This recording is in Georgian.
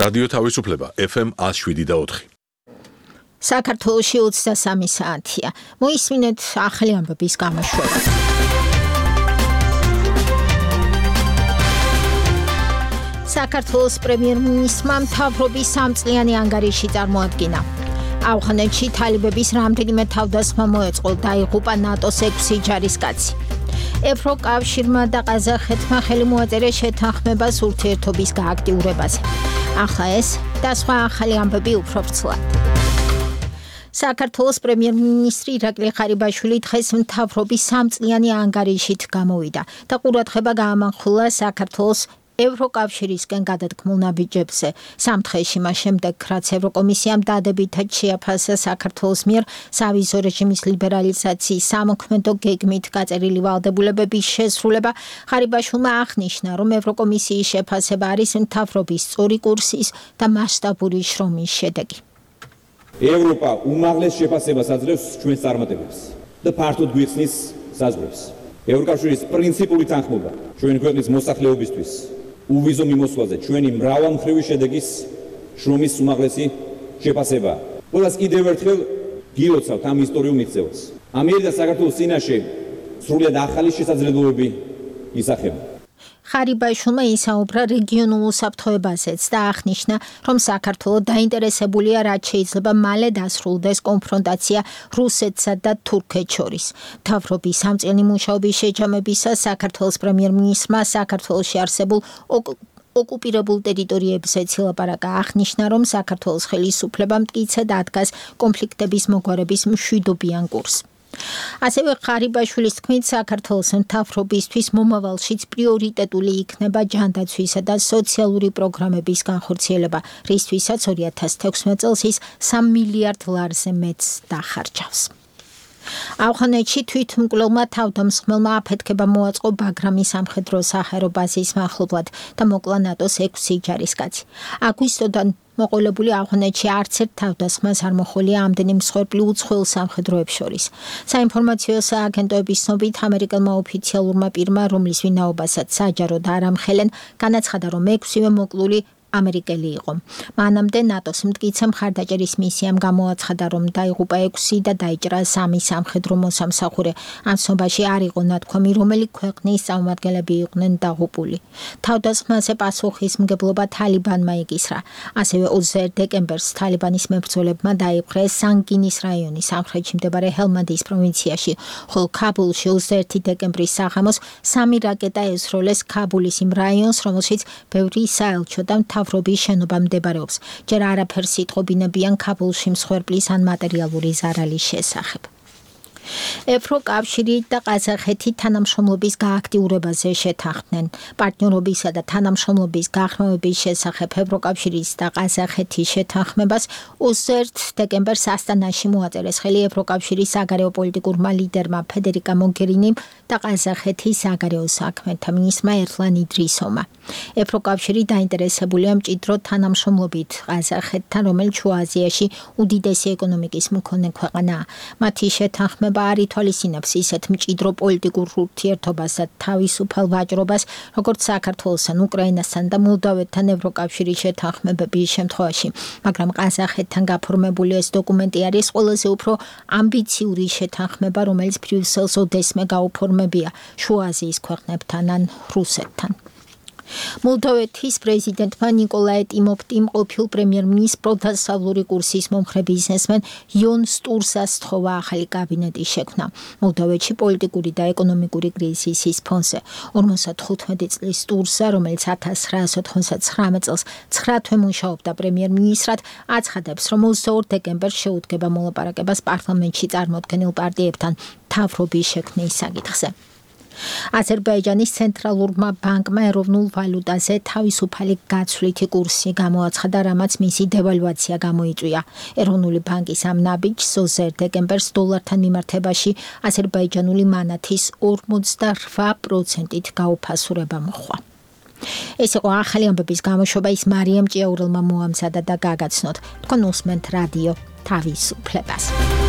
რადიო თავისუფლება FM 107.4. საქართველოში 23 საათია. მოისმინეთ ახალი ამბების გამოშვება. საქართველოს პრემიერ-მინისტრმა მთავრობის 3 წლიანი ანგარიში წარმოადგინა. ავღანეთში თალიბების რამდენიმე თავდასხმა მოეწყო, დაიღუპა ნატოს 6 ჯარისკაცი. ევროკავშირმა და ყაზახეთმა ხელი მოაწერეს შეთანხმებას ურთიერთობის გააქტიურებაზე. ახლა ეს და სხვა ახალი ამბები უფრო ვრცლად. საქართველოს პრემიერ-მინისტრი ირაკლი ღარიბაშვილი დღეს მთავრობის 3 წლიანი ანგარიშით გამოვიდა და ყურადღება გაამახვილა საქართველოს ევროკავშირისგან გადადგმულ ნაბიჯებზე. 3 დღეში მას შემდეგ, რაც ევროკომისიამ დადებითად შეაფასა საქართველოს მიერ სავიზო რეჟიმის ლიბერალიზაციის სამოქმედო გეგმით გაწერილი ვალდებულებების შესრულება, ღარიბაშვილმა აღნიშნა, რომ ევროკომისიის შეფასება არის მთავრობის სწორი კურსის და მასშტაბური შრომის შედეგი. ევროპა უმაღლეს შეფასებას აძლევს ჩვენს წარმატებებს და ფართოდ გვიხსნის საზღვრებს. ევროკავშირის პრინციპული თანხმობა ჩვენი ქვეყნის მოსახლეობისთვის უვიზო მიმოსვლაზე ჩვენი მრავალმხრივი შედეგის შრომის უმაღლესი შეფასება. ყველას კიდევ ერთხელ გილოცავთ ამ ისტორიულ მიღწევას. ამიერი და საქართველოს წინაშე სრულიად ახალი შესაძლებლობები ისახება. ღარიბაშვილმა ისაუბრა რეგიონულ უსაფრთხოებაზეც და აღნიშნა, რომ საქართველო დაინტერესებულია, რაც შეიძლება მალე დასრულდეს კონფრონტაცია რუსეთსა და თურქეთს შორის. მთავრობის 3 წლიანი მუშაობის შეჯამებისას საქართველოს პრემიერ-მინისტრმა საქართველოში არსებულ ოკუპირებულ ტერიტორიებზეც ილაპარაკა. აღნიშნა, რომ საქართველოს ხელისუფლებამ მტკიცედ ადგას კონფლიქტების მოგვარების მშვიდობიან კურსს. ასევე ღარიბაშვილის თქმით, საქართველოს მთავრობისთვის მომავალშიც პრიორიტეტული იქნება ჯანდაცვისა და სოციალური პროგრამების განხორციელება, რისთვისაც 2016 წელს ის 3 მილიარდ ლარზე მეტს დახარჯავს. ავღანეთში თვითმკვლელმა თავდამსხმელმა აფეთქება მოაწყო ბაგრამის სამხედრო საჰაერო ბაზის მახლობლად და მოკლა ნატოს 6 ჯარისკაცი. აგვისტოდან მოყოლებული ავღანეთში არც ერთ თავდასხმას არ მოჰყოლია ამდენი მსხვერპლი უცხოელ სამხედროებს შორის. საინფორმაციო სააგენტოების ცნობით, ამერიკელმა ოფიციალურმა პირმა, რომლის ვინაობასაც საჯაროდ არ ამხელენ, განაცხადა, რომ 6-ვე მოკლული ამერიკელი იყო. მანამდე ნატოს მტკიცე მხარდაჭერის მისიამ გამოაცხადა, რომ დაიღუპა 6 და დაიჭრა 3 სამხედრო მოსამსახურე. ამ ცნობაში არ იყო ნათქვამი, რომელი ქვეყნის წარმომადგენლები იყვნენ დაღუპული. თავდასხმაზე პასუხისმგებლობა თალიბანმა იკისრა. ასევე 21 დეკემბერს თალიბანის მებრძოლებმა დაიპყრეს სანგინის რაიონის სამხრეთში მდებარე ჰელმანდის პროვინციაში, ხოლო ქაბულში 21 დეკემბრის საღამოს 3 რაკეტა ესროლეს ქაბულის იმ რაიონს, რომელშიც ბევრი საელჩო და მთავრობის შენობა მდებარეობს. ჯერ არაფერს იტყობინებიან ქაბულში მსხვერპლის ან მატერიალური ზარალის შესახებ. ევროკავშირი და ყაზახეთი თანამშრომლობის გააქტიურებაზე შეთანხმდნენ. პარტნიორობისა და თანამშრომლობის გაღრმავების შესახებ ევროკავშირის და ყაზახეთის შეთანხმებას 21 დეკემბერს ასტანაში მოაწერეს ხელი ევროკავშირის საგარეო პოლიტიკურმა ლიდერმა ფედერიკა მოგერინიმ და ყაზახეთის საგარეო საქმეთა მინისტრმა ერლან იდრისოვმა. ევროკავშირი დაინტერესებულია მჭიდრო თანამშრომლობით ყაზახეთთან, რომელიც შუა აზიაში უდიდესი ეკონომიკის მქონე ქვეყანაა. მათი შეთანხმება არ ითვალისწინებს ისეთ მჭიდრო პოლიტიკურ ურთიერთობას და თავისუფალ ვაჭრობას, როგორც საქართველოსთან, უკრაინასთან და მოლდოვეთთან ევროკავშირის შეთანხმებების შემთხვევაში. მაგრამ ყაზახეთთან გაფორმებული ეს დოკუმენტი არის ყველაზე უფრო ამბიციური შეთანხმება, რომელიც ბრიუსელს ოდესმე გაუფორმებია შუა აზიის ქვეყნებთან ან რუსეთთან. მოლდოვეთის პრეზიდენტმა ნიკოლაი ტიმოფტიმ ყოფილ პრემიერ-მინისტრ პროდასავლური კურსის მომხრე ბიზნესმენ იონ სტურსას სთხოვა ახალი კაბინეტის შექმნა. მოლდოვეთში პოლიტიკური და ეკონომიკური კრიზისის ფონზე 55 წლის სტურსა, რომელიც 1999 წელს 9 თვე მუშაობდა პრემიერ-მინისტრად, აცხადებს, რომ 22 დეკემბერს შეუდგება მოლაპარაკებას პარლამენტში წარმოქმნილ პარტიებთან მთავრობის შექმნის საკითხზე. აზერბაიჯანის ცენტრალურმა ბანკმა ეროვნულ ვალუტაზე თავისუფალი გაცვლითი კურსი გამოაცხადა, რამაც მისი დევალვაცია გამოიწვია. ეროვნული ბანკის ამ ნაბიჯს 20 დეკემბერს დოლართან მიმართებაში აზერბაიჯანული მანათის 48%-ით გაუფასურება მოჰყვა. ეს იყო ახალი ამბების გამოშვება, ის მარიამ ჭიაურელმა მოამზადა და გაგაცნოთ. თქვენ უსმენთ რადიო თავისუფლებას.